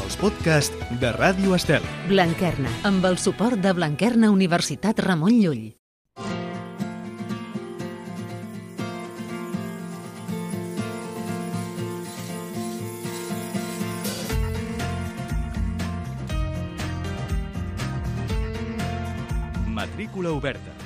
els podcasts de Ràdio Estel. Blanquerna, amb el suport de Blanquerna Universitat Ramon Llull. Matrícula oberta.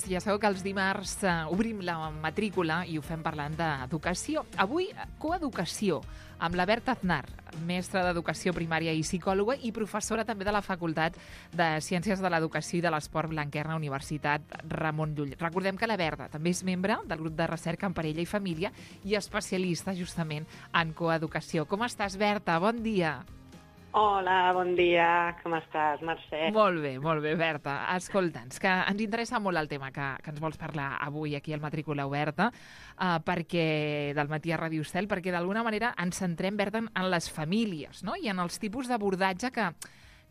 Ja sabeu que els dimarts obrim la matrícula i ho fem parlant d'educació. Avui, coeducació, amb la Berta Aznar, mestra d'Educació Primària i psicòloga i professora també de la Facultat de Ciències de l'Educació i de l'Esport Blanquerna, Universitat Ramon Llull. Recordem que la Berta també és membre del grup de recerca en parella i família i especialista justament en coeducació. Com estàs, Berta? Bon dia. Hola, bon dia. Com estàs, Mercè? Molt bé, Berta. Escolta'ns, que ens interessa molt el tema que ens vols parlar avui aquí al Matrícula Oberta, perquè del matí a Ràdio Estel, perquè d'alguna manera ens centrem, Berta, en les famílies, no? I en els tipus d'abordatge que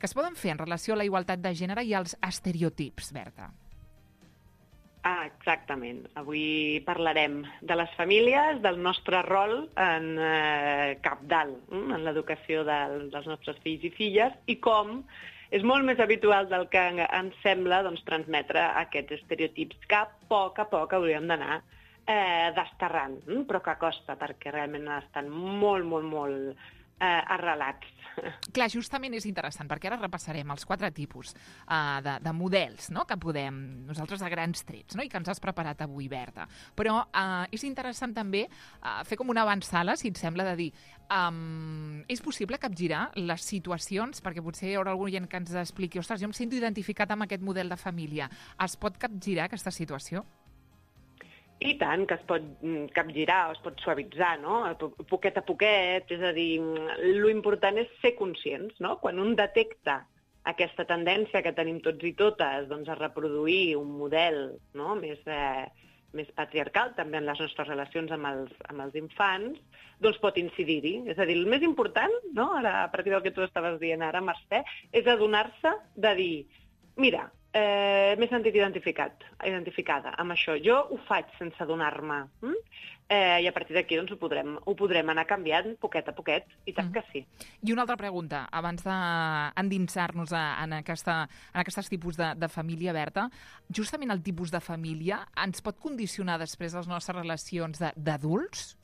es poden fer en relació a la igualtat de gènere i als estereotips, Berta. Exactament. Avui parlarem de les famílies, del nostre rol en cabdal, en l'educació dels nostres fills i filles, i com és molt més habitual del que ens sembla transmetre aquests estereotips que a poc hauríem d'anar desterrant, però que costa, perquè realment estan molt arrelats. Clar, justament és interessant, perquè ara repassarem els 4 tipus de models, no?, que podem, nosaltres a grans trets, no?, i que ens has preparat avui, Berta. Però és interessant també fer com una avançada, si et sembla, de dir és possible capgirar les situacions, perquè potser hi haurà algú que ens expliqui, ostres, jo em sento identificat amb aquest model de família. Es pot capgirar aquesta situació? I tant, que es pot capgirar o es pot suavitzar, no? Poquet a poquet, és a dir, l'important és ser conscients, no? Quan un detecta aquesta tendència que tenim tots i totes a reproduir un model, no?, més patriarcal també en les nostres relacions amb els infants, doncs pot incidir-hi. És a dir, el més important, no?, ara, a partir del que tu estaves dient ara, Mercè, és adonar-se de dir, mira, m'he sentit identificada amb això. Jo ho faig sense adonar-me. I a partir d'aquí ho podrem anar canviant poquet a poquet, i tant que sí. I una altra pregunta, abans d'endinsar-nos en aquests tipus de família, Berta. Justament el tipus de família ens pot condicionar després les nostres relacions d'adults?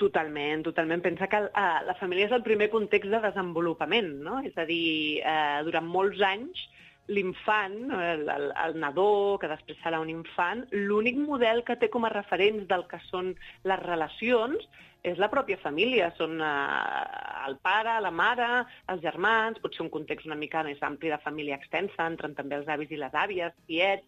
Totalment. Pensa que la família és el primer context de desenvolupament, no? És a dir, durant molts anys l'infant, el nadó, que després serà un infant, l'únic model que té com a referents del que són les relacions és la pròpia família. Són el pare, la mare, els germans, pot ser un context una mica més ampli de família extensa, entren també els avis i les àvies, tiets,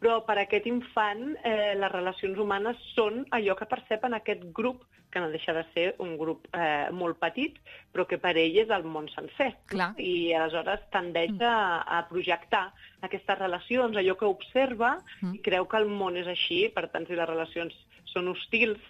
però per a aquest infant les relacions humanes són allò que percep en aquest grup, que no deixa de ser un grup molt petit, però que per ell és el món sencer. Clar. I aleshores tendeix a projectar aquestes relacions, allò que observa, i creu que el món és així. Per tant, si les relacions són hostils,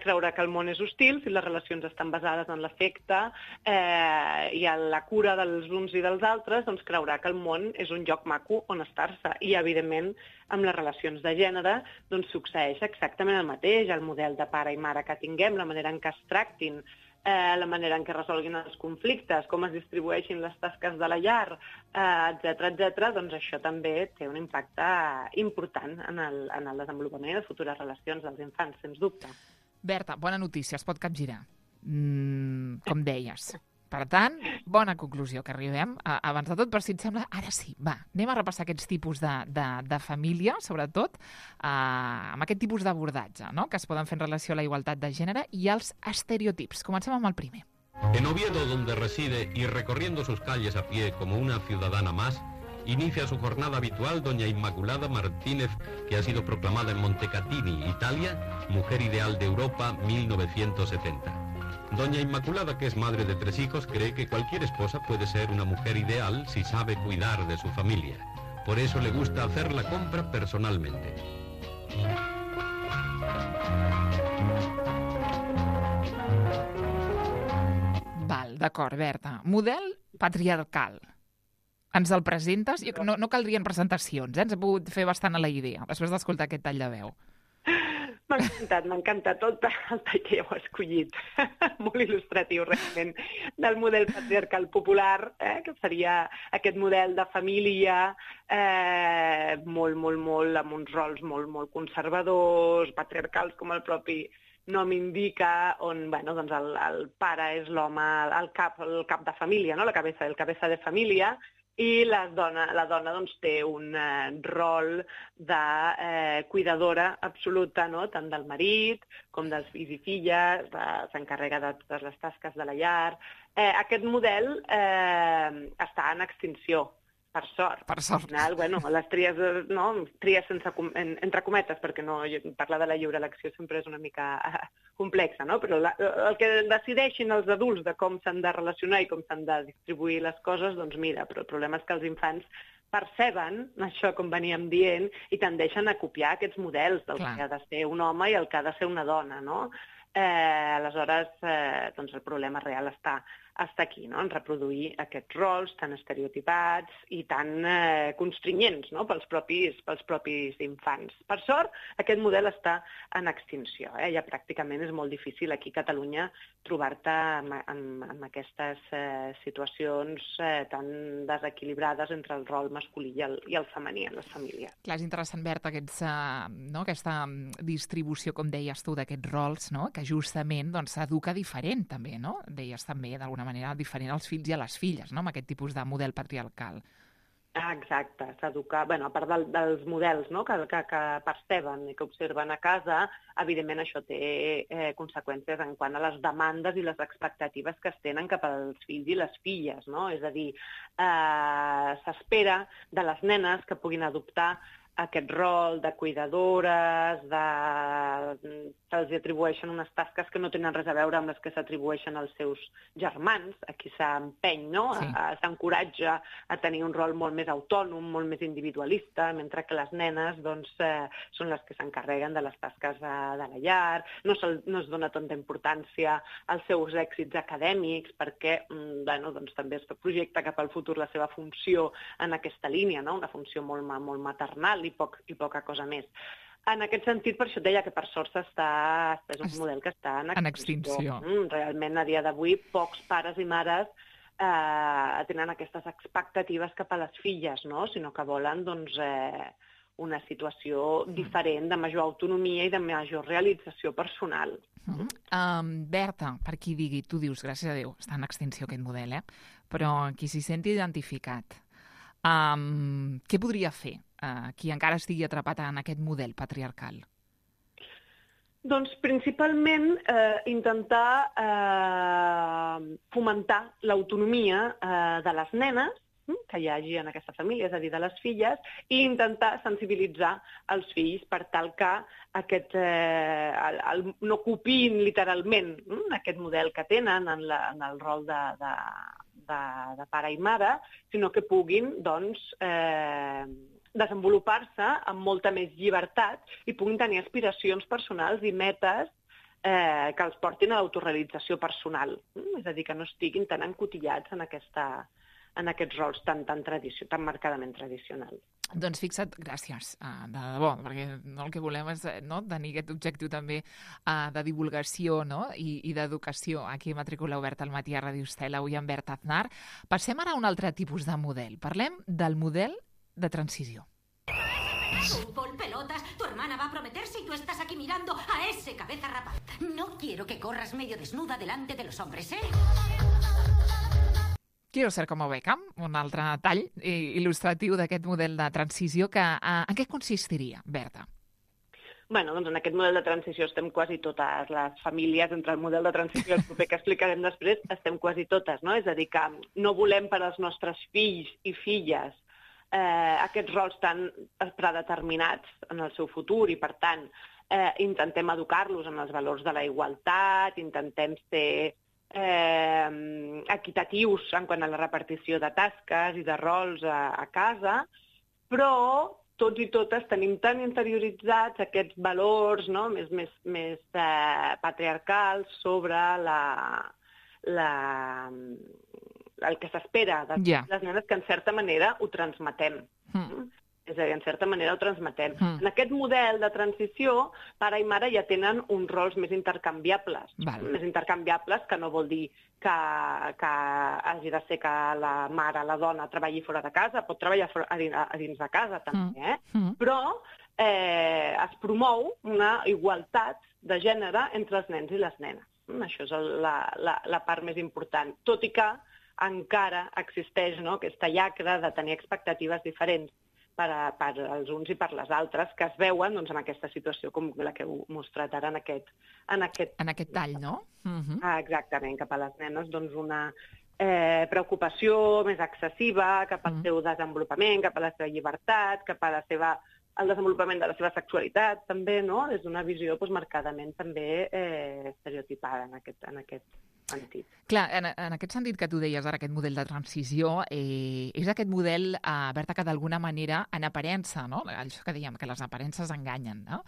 creurà que el món és hostil. Si les relacions estan basades en l'afecte i en la cura dels uns i dels altres, doncs creurà que el món és un lloc maco on estar-se. I, evidentment, amb les relacions de gènere doncs succeeix exactament el mateix. El model de pare i mare que tinguem, la manera en què es tractin, la manera en què resolguin els conflictes, com es distribueixin les tasques de la llar, etc., doncs això també té un impacte important en el desenvolupament i les futures relacions dels infants, sens dubte. Berta, bona notícia, es pot capgirar, com deies. Per tant, bona conclusió que arribem. Abans de tot, però si et sembla, ara sí, va, anem a repassar aquests tipus de família, sobretot, amb aquest tipus d'abordatge, no?, que es poden fer en relació a la igualtat de gènere i als estereotips. Comencem amb el primer. En Oviedo, donde reside y recorriendo sus calles a pie como una ciudadana más, inicia su jornada habitual doña Inmaculada Martínez, que ha sido proclamada en Montecatini, Italia, Mujer Ideal de Europa 1970. Doña Inmaculada, que es madre de 3 hijos, cree que cualquier esposa puede ser una mujer ideal si sabe cuidar de su familia. Por eso le gusta hacer la compra personalmente. Val, d'acord, Berta. Model patriarcal. Ens el presentes? No caldrien presentacions, ens he pogut fer bastant a la idea, després d'escoltar aquest tall de veu. M'ha encantat el tall que heu escollit. Molt il·lustratiu, realment, del model patriarcal popular, que seria aquest model de família molt, amb uns rols molt conservadors, patriarcals, com el propi nom indica, on doncs el pare és l'home, el cap de família, no? El cabeza de família, i la dona doncs, té un rol de cuidadora absoluta, no? Tant del marit com dels fills i filles, s'encarrega de totes les tasques de la llar. Aquest model està en extinció, per sort. Per sort. Al final, les tries, no? Tries entre cometes, perquè parlar de la lliure elecció sempre és una mica complexa, no? Però el que decideixin els adults de com s'han de relacionar i com s'han de distribuir les coses, doncs mira, però el problema és que els infants perceben això, com veníem dient, i tendeixen a copiar aquests models del que ha de ser un home i el que ha de ser una dona, no? Aleshores, doncs el problema real està aquí, no? En reproduir aquests rols tan estereotipats i tan constrinyents, no? pels propis infants. Per sort, aquest model està en extinció. Ja pràcticament és molt difícil aquí a Catalunya trobar-te amb aquestes situacions tan desequilibrades entre el rol masculí i el femení en les famílies. Clar, és interessant, Berta, aquesta distribució, com deies tu, d'aquests rols, no? Que justament s'educa diferent també, no? Deies també, d'alguna manera, diferent als fills i a les filles, no? Amb aquest tipus de model patriarcal. Exacte, s'educa, a part dels models, no? que perceben i que observen a casa, evidentment això té conseqüències en quant a les demandes i les expectatives que es tenen cap als fills i les filles, no? És a dir, s'espera de les nenes que puguin adoptar aquest rol de cuidadores, se'ls atribueixen unes tasques que no tenen res a veure amb les que s'atribueixen als seus germans. Aquí s'empeny, no? Sí. S'encoratja a tenir un rol molt més autònom, molt més individualista, mentre que les nenes són les que s'encarreguen de les tasques de la llar. No es dona tanta importància als seus èxits acadèmics, perquè també es projecta cap al futur la seva funció en aquesta línia, no? Una funció molt maternal i poca cosa més. En aquest sentit, per això et deia que per sort és un model que està en extinció. Realment, a dia d'avui, pocs pares i mares tenen aquestes expectatives cap a les filles, no? Sinó que volen una situació diferent, de major autonomia i de major realització personal. Berta, per qui digui, tu dius, gràcies a Déu, està en extinció aquest model, però qui s'hi senti identificat, què podria fer qui encara estigui atrapat en aquest model patriarcal? Doncs principalment intentar fomentar l'autonomia de les nenes que hi hagi en aquesta família, és a dir, de les filles, i intentar sensibilitzar els fills per tal que no copiïn literalment aquest model que tenen en el rol de pare i mare, sinó que puguin, desenvolupar-se amb molta més llibertat i puguin tenir aspiracions personals i metes que els portin a l'autorealització personal. És a dir, que no estiguin tan encotillats en aquests rols tan marcadament tradicionals. Doncs fixa't, gràcies, de debò, perquè el que volem és tenir aquest objectiu també de divulgació i d'educació aquí a Matrícula Oberta al matí a Ràdio Estel, avui amb Berta Aznar. Passem ara a un altre tipus de model. Parlem del model de transició. Fútbol, pelotas, tu hermana va a prometerse y tú estás aquí mirando a ese cabeza rapada. No quiero que corras medio desnuda delante de los hombres, ¿eh? Quiero ser como Beckham, un altre tall il·lustratiu d'aquest model de transició. En què consistiria, Berta? Doncs en aquest model de transició estem quasi totes les famílies, entre el model de transició i el proper que explicarem després, estem quasi totes, no? És a dir, que no volem per als nostres fills i filles aquests rols tan predeterminats en el seu futur i, per tant, intentem educar-los en els valors de la igualtat, intentem ser equitatius en quant a la repartició de tasques i de rols a casa, però tots i totes tenim tan interioritzats aquests valors més patriarcals sobre el que s'espera de les nenes, que en certa manera ho transmetem. És a dir, en certa manera ho transmetem. En aquest model de transició, pare i mare ja tenen uns rols més intercanviables. Més intercanviables, que no vol dir que hagi de ser que la mare, la dona, treballi fora de casa, pot treballar a dins de casa també, però es promou una igualtat de gènere entre els nens i les nenes. Això és la part més important, tot i que encara existeix aquesta llacra de tenir expectatives diferents per als uns i per les altres, que es veuen en aquesta situació com la que heu mostrat ara en aquest tall, no? Exactament, cap a les nenes una preocupació més excessiva cap al seu desenvolupament, cap a la seva llibertat, cap a el desenvolupament de la seva sexualitat, també, no? És una visió marcadament també estereotipada en aquest sentit. Clar, en aquest sentit que tu deies ara, aquest model de transició, és aquest model, Berta, que d'alguna manera, en aparença, no? Això que dèiem, que les aparences enganyen, no?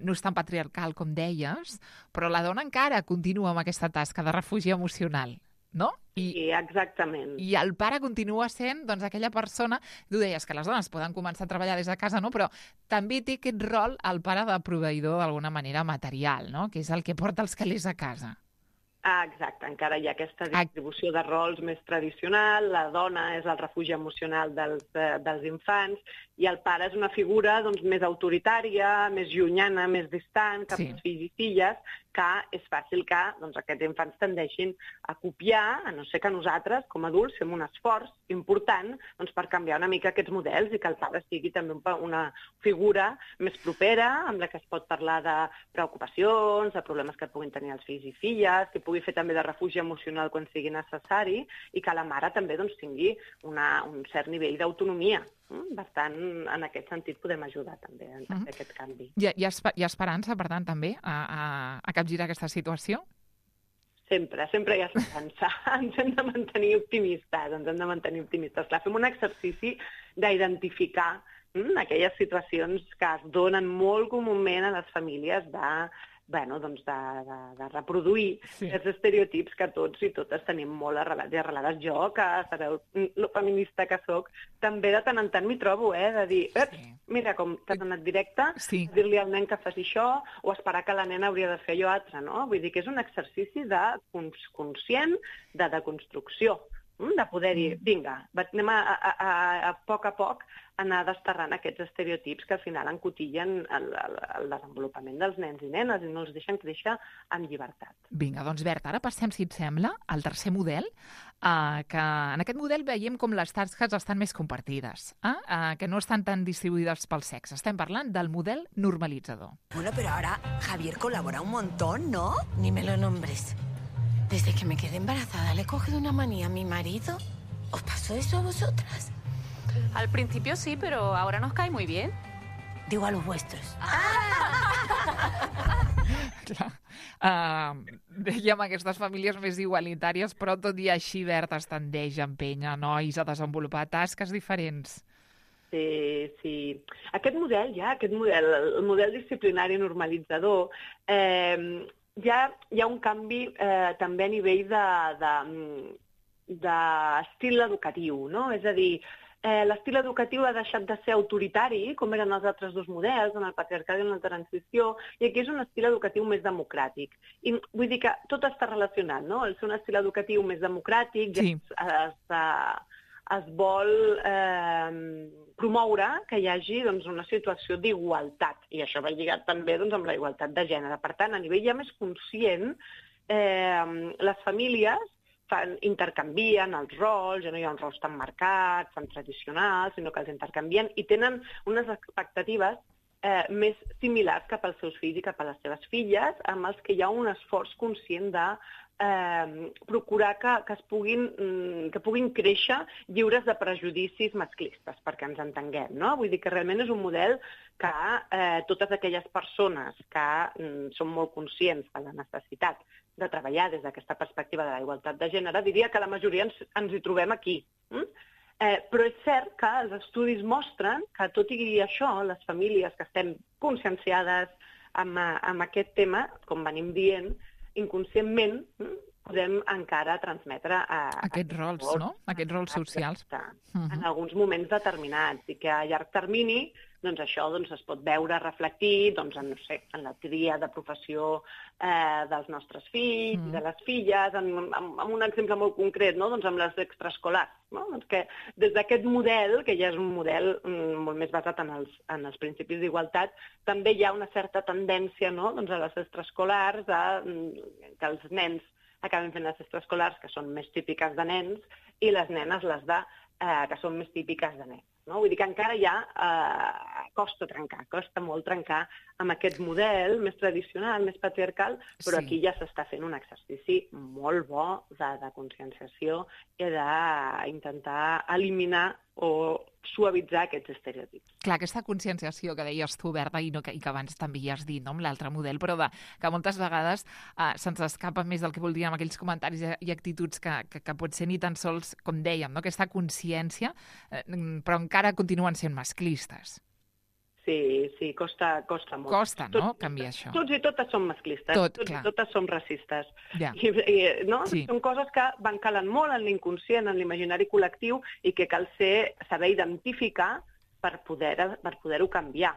No és tan patriarcal com deies, però la dona encara continua amb aquesta tasca de refugi emocional, no? Sí, exactament. I el pare continua sent aquella persona, tu deies que les dones poden començar a treballar des de casa, no? Però també té aquest rol el pare de proveïdor d'alguna manera material, no? Que és el que porta els calés a casa. Exacte, encara hi ha aquesta distribució de rols més tradicional, la dona és el refugi emocional dels infants i el pare és una figura més autoritària, més llunyana, més distant cap als fills i filles, que és fàcil que aquests infants tendeixin a copiar, a no ser que nosaltres, com a adults, fem un esforç important per canviar una mica aquests models i que el pare sigui també una figura més propera, amb la que es pot parlar de preocupacions, de problemes que puguin tenir els fills i filles, que pugui fer també de refugi emocional quan sigui necessari i que la mare també tingui un cert nivell d'autonomia. Per tant, en aquest sentit podem ajudar també a fer aquest canvi. Hi ha esperança, per tant, també a capgirar aquesta situació? Sempre hi ha esperança. Ens hem de mantenir optimistes. Clar, fem un exercici d'identificar aquelles situacions que es donen molt comúment a les famílies de reproduir els estereotips que tots i totes tenim molt arrelats i arrelades. Jo, que sabeu lo feminista que soc, també de tant en tant m'hi trobo, de dir, mira com t'has anat directe, dir-li al nen que faci això o esperar que la nena hauria de fer allò altre, no? Vull dir que és un exercici conscient de deconstrucció, de poder dir, vinga, anem a poc anar desterrant aquests estereotips que al final encotillen el desenvolupament dels nens i nenes i no els deixen créixer amb llibertat. Vinga, doncs Berta, ara passem, si et sembla, al tercer model, que en aquest model veiem com les tasques estan més compartides, que no estan tan distribuïdes pel sexe. Estem parlant del model normalitzador. Bueno, pero ahora Javier colabora un montón, ¿no? Ni me lo nombres. Desde que me quedé embarazada le he cogido una manía a mi marido. ¿Os pasó eso a vosotras? Al principio sí, pero ahora nos cae muy bien. Digo a los vuestros. Dèiem aquestes famílies més igualitàries, però tot i així, Berta, es tendeix a empènyer nois a desenvolupar tasques diferents. Sí. Aquest model, el model disciplinari normalitzador, hi ha un canvi també a nivell d'estil educatiu, no? És a dir, l'estil educatiu ha deixat de ser autoritari, com eren els altres dos models, en el patriarcat i en la transició, i aquí és un estil educatiu més democràtic. I vull dir que tot està relacionat, no? El ser un estil educatiu més democràtic es vol promoure que hi hagi una situació d'igualtat, i això va lligat també amb la igualtat de gènere. Per tant, a nivell ja més conscient, les famílies intercanvien els rols, ja no hi ha uns rols tan marcats, tan tradicionals, sinó que els intercanvien i tenen unes expectatives més similars cap als seus fills i cap a les seves filles, amb els que hi ha un esforç conscient de procurar que puguin créixer lliures de prejudicis masclistes, perquè ens entenguem, no? Vull dir que realment és un model que totes aquelles persones que són molt conscients de la necessitat de treballar des d'aquesta perspectiva de la igualtat de gènere, diria que la majoria ens hi trobem aquí. Però és cert que els estudis mostren que, tot i això, les famílies que estem conscienciades amb aquest tema, com venim dient, inconscientment podem encara transmetre aquests rols, no? Aquests rols socials. En alguns moments determinats, i que a llarg termini doncs això es pot veure reflectit en la tria de professió dels nostres fills, de les filles, amb un exemple molt concret, no? Amb les extraescolars. No? Doncs que des d'aquest model, que ja és un model molt més basat en els principis d'igualtat, també hi ha una certa tendència, no? A les extraescolars, que els nens acaben fent les extraescolars, que són més típiques de nens, i les nenes que són més típiques de nens. No? Vull dir que encara costa molt trencar amb aquest model més tradicional, més patriarcal, però aquí ja s'està fent un exercici molt bo de conscienciació i d'intentar eliminar o suavitzar aquests estereotips. Clar, aquesta conscienciació que deies tu, Berta, i que abans també hi has dit, no? Amb l'altre model, però que moltes vegades se'ns escapa més del que voldríem aquells comentaris i actituds que potser ni tan sols, com dèiem, no? Aquesta consciència, però encara continuen sent masclistes. Sí, costa molt. Costa, no?, canviar això. Tots i totes som masclistes, tots i totes som racistes. Ja. No? Sí. Són coses que van calant molt en l'inconscient, en l'imaginari col·lectiu, i que cal saber identificar per poder-ho canviar.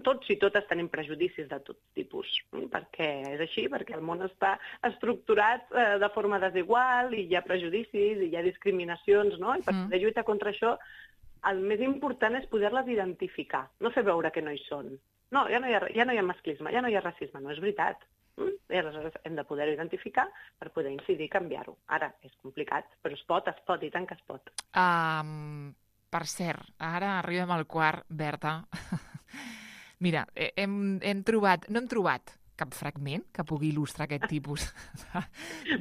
Tots i totes tenim prejudicis de tot tipus, perquè és així, perquè el món està estructurat de forma desigual, i hi ha prejudicis, i hi ha discriminacions, no? I per poder lluitar contra això, el més important és poder-les identificar, no fer veure que no hi són. No, ja no hi ha masclisme, ja no hi ha racisme, no és veritat. I aleshores hem de poder-ho identificar per poder incidir i canviar-ho. Ara, és complicat, però es pot, i tant que es pot. Per cert, ara arribem al quart, Berta. Mira, no hem trobat cap fragment que pugui il·lustrar aquest tipus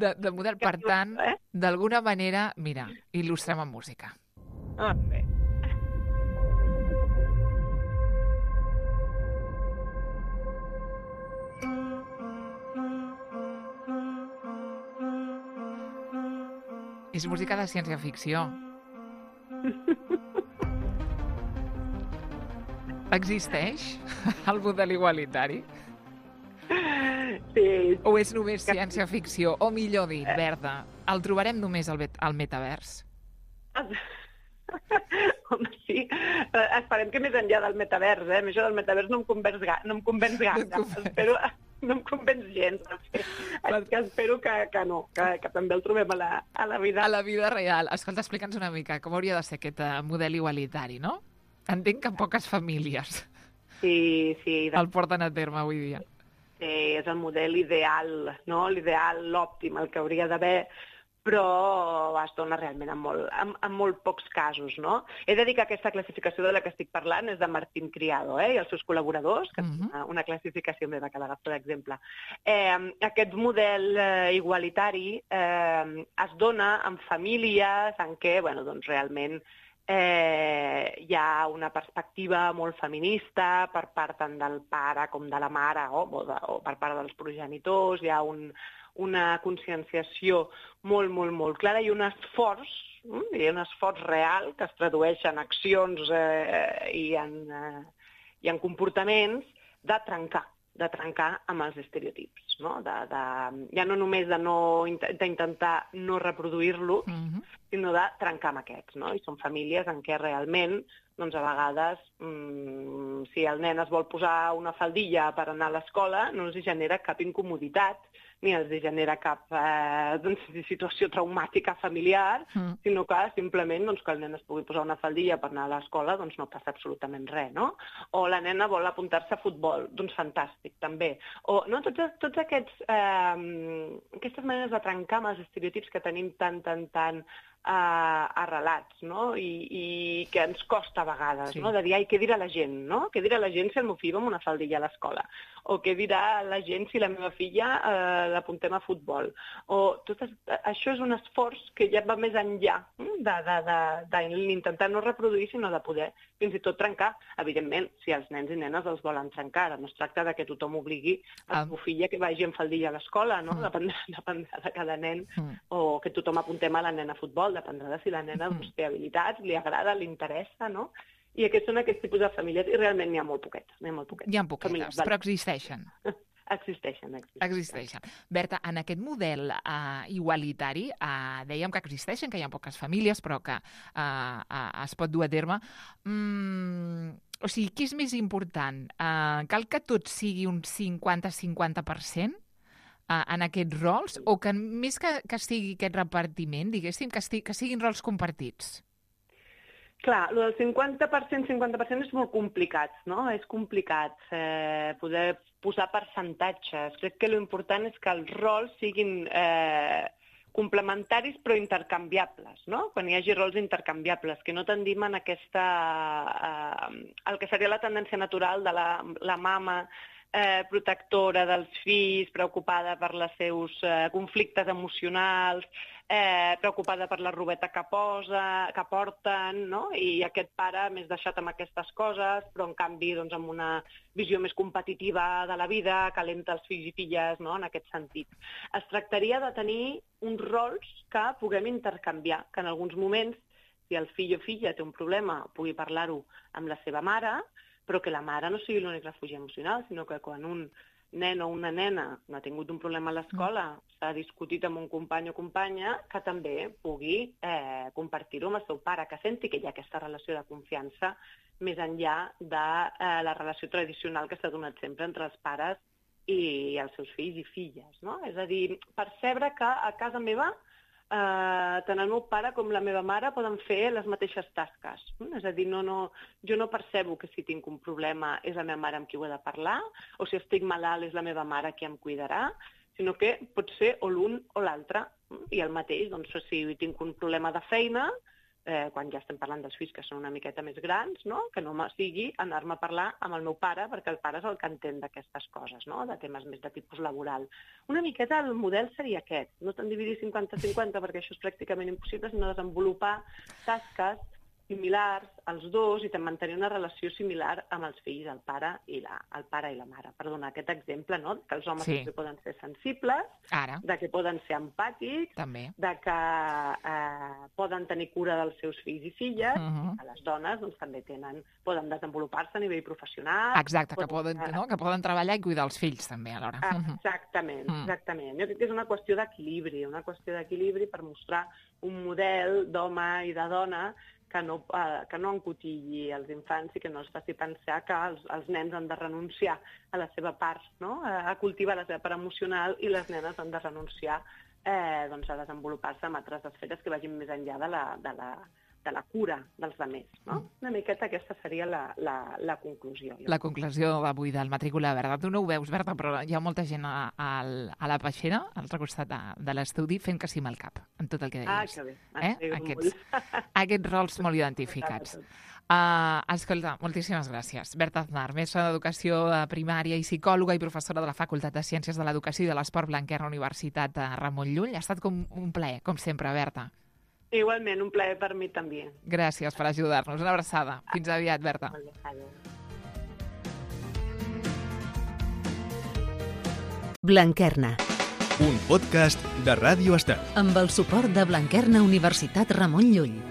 de model. Per tant, d'alguna manera, mira, il·lustrem amb música. Bé. És música de ciència-ficció. Existeix el model igualitari? Sí. O és només ciència-ficció? O millor dit, Berta, el trobarem només al metavers? Home, sí. Esperem que més enllà del metavers, això del metavers no em convenç gaire. No em convenç gens. Espero que no, que també el trobem a la vida. A la vida real. Escolta, explica'ns una mica com hauria de ser aquest model igualitari, no? Entenc que poques famílies el porten a terme avui dia. Sí, és el model ideal, no? L'ideal, l'òptim, el que hauria d'haver, però es dona realment en molt pocs casos, no? He de dir que aquesta classificació de la que estic parlant és de Martín Criado, i els seus col·laboradors, que és una classificació meva que l'agafo d'exemple. Aquest model igualitari es dona en famílies en què, realment hi ha una perspectiva molt feminista per part tant del pare com de la mare o per part dels progenitors. Hi ha una conscienciació molt, molt, molt clara i un esforç real que es tradueix en accions i en comportaments de trencar amb els estereotips, no? Ja no només d'intentar no reproduir-los, sinó de trencar amb aquests, no? I són famílies en què realment, a vegades, si el nen es vol posar una faldilla per anar a l'escola, no els genera cap incomoditat, ni els genera cap situació traumàtica familiar, sinó que simplement que el nen es pugui posar una faldilla per anar a l'escola, no passa absolutament res, no? O la nena vol apuntar-se a futbol, fantàstic, també. O tots aquestes maneres de trencar amb els estereotips que tenim tan arrelats, no? I que ens costa a vegades, no? De dir, què dirà la gent, no? Què dirà la gent si el meu fill va amb una faldilla a l'escola? O què dirà la gent si la meva filla l'apuntem a futbol? Això és un esforç que ja va més enllà d'intentar no reproduir, sinó de poder fins i tot trencar. Evidentment, si els nens i nenes els volen trencar, no es tracta que tothom obligui a la filla que vagi amb faldilla a l'escola, no? Dependrà de cada nen, o que tothom apuntem a la nena a futbol, dependrà de si la nena té habilitats, li agrada, li interessa, no? I aquests són aquests tipus de famílies, i realment n'hi ha molt poquetes. Hi ha poquetes, però existeixen. Existeixen. Berta, en aquest model igualitari, dèiem que existeixen, que hi ha poques famílies, però que es pot dur a terme. O sigui, què és més important? Cal que tot sigui un 50-50% en aquests rols, o que més que sigui aquest repartiment, diguéssim, que siguin rols compartits? Clar, el del 50% és molt complicat, no? És complicat poder posar percentatges. Crec que l'important és que els rols siguin complementaris però intercanviables, no? Quan hi hagi rols intercanviables, que no tendim en aquesta... el que seria la tendència natural de la mama protectora dels fills, preocupada per els seus conflictes emocionals, preocupada per la robeta que porten, no? I aquest pare més deixat amb aquestes coses, però en canvi doncs, amb una visió més competitiva de la vida, calenta els fills i filles, no? En aquest sentit. Es tractaria de tenir uns rols que puguem intercanviar, que en alguns moments, si el fill o filla té un problema, pugui parlar-ho amb la seva mare, però que la mare no sigui l'únic refugi emocional, sinó que quan un nen o una nena no ha tingut un problema a l'escola, s'ha discutit amb un company o companya, que també pugui compartir-ho amb el seu pare, que senti que hi ha aquesta relació de confiança més enllà de la relació tradicional que s'ha donat sempre entre els pares i els seus fills i filles, no? És a dir, percebre que a casa meva tant el meu pare com la meva mare poden fer les mateixes tasques. És a dir, jo no percebo que si tinc un problema és la meva mare amb qui ho he de parlar, o si estic malalt és la meva mare qui em cuidarà, sinó que pot ser o l'un o l'altre. I el mateix, doncs, si tinc un problema de feina, quan ja estem parlant dels fills que són una miqueta més grans, no? Que no sigui anar-me a parlar amb el meu pare, perquè el pare és el que entén d'aquestes coses, no? De temes més de tipus laboral. Una miqueta el model seria aquest, no tant dividir 50-50, perquè això és pràcticament impossible, sinó desenvolupar tasques similars als dos i mantenir una relació similar amb els fills, el pare i la mare. Per donar aquest exemple, no? Que els homes també poden ser sensibles, de que poden ser empàtics, de que poden tenir cura dels seus fills i filles, i que les dones doncs, també poden desenvolupar-se a nivell professional. Exacte, que poden treballar i cuidar els fills també alhora. Exactament. Jo crec que és una qüestió d'equilibri, per mostrar un model d'home i de dona que no encotilli els infants i que no els faci pensar que els nens han de renunciar a la seva part, no? A cultivar la seva part emocional, i les nenes han de renunciar a desenvolupar-se en altres esferes que vagin més enllà de la cura dels altres, no? Una miqueta aquesta seria la conclusió. La conclusió d'avui del Matrícula Verda. Tu no ho veus, Berta, però hi ha molta gent a la peixera, a l'altre costat de l'estudi, fent que sí amb el cap, en tot el que deies. Que bé. Aquests rols molt identificats. Escolta, moltíssimes gràcies. Berta Aznar, mestra d'Educació Primària i psicòloga i professora de la Facultat de Ciències de l'Educació i de l'Esport Blanquerna, Universitat Ramon Llull. Ha estat com un plaer, com sempre, Berta. Igualment, un plaer per mi també. Gràcies per ajudar-nos. Una abraçada. Fins aviat, Berta. Blanquerna. Un podcast de Ràdio Estel. Amb el suport de Blanquerna Universitat Ramon Llull.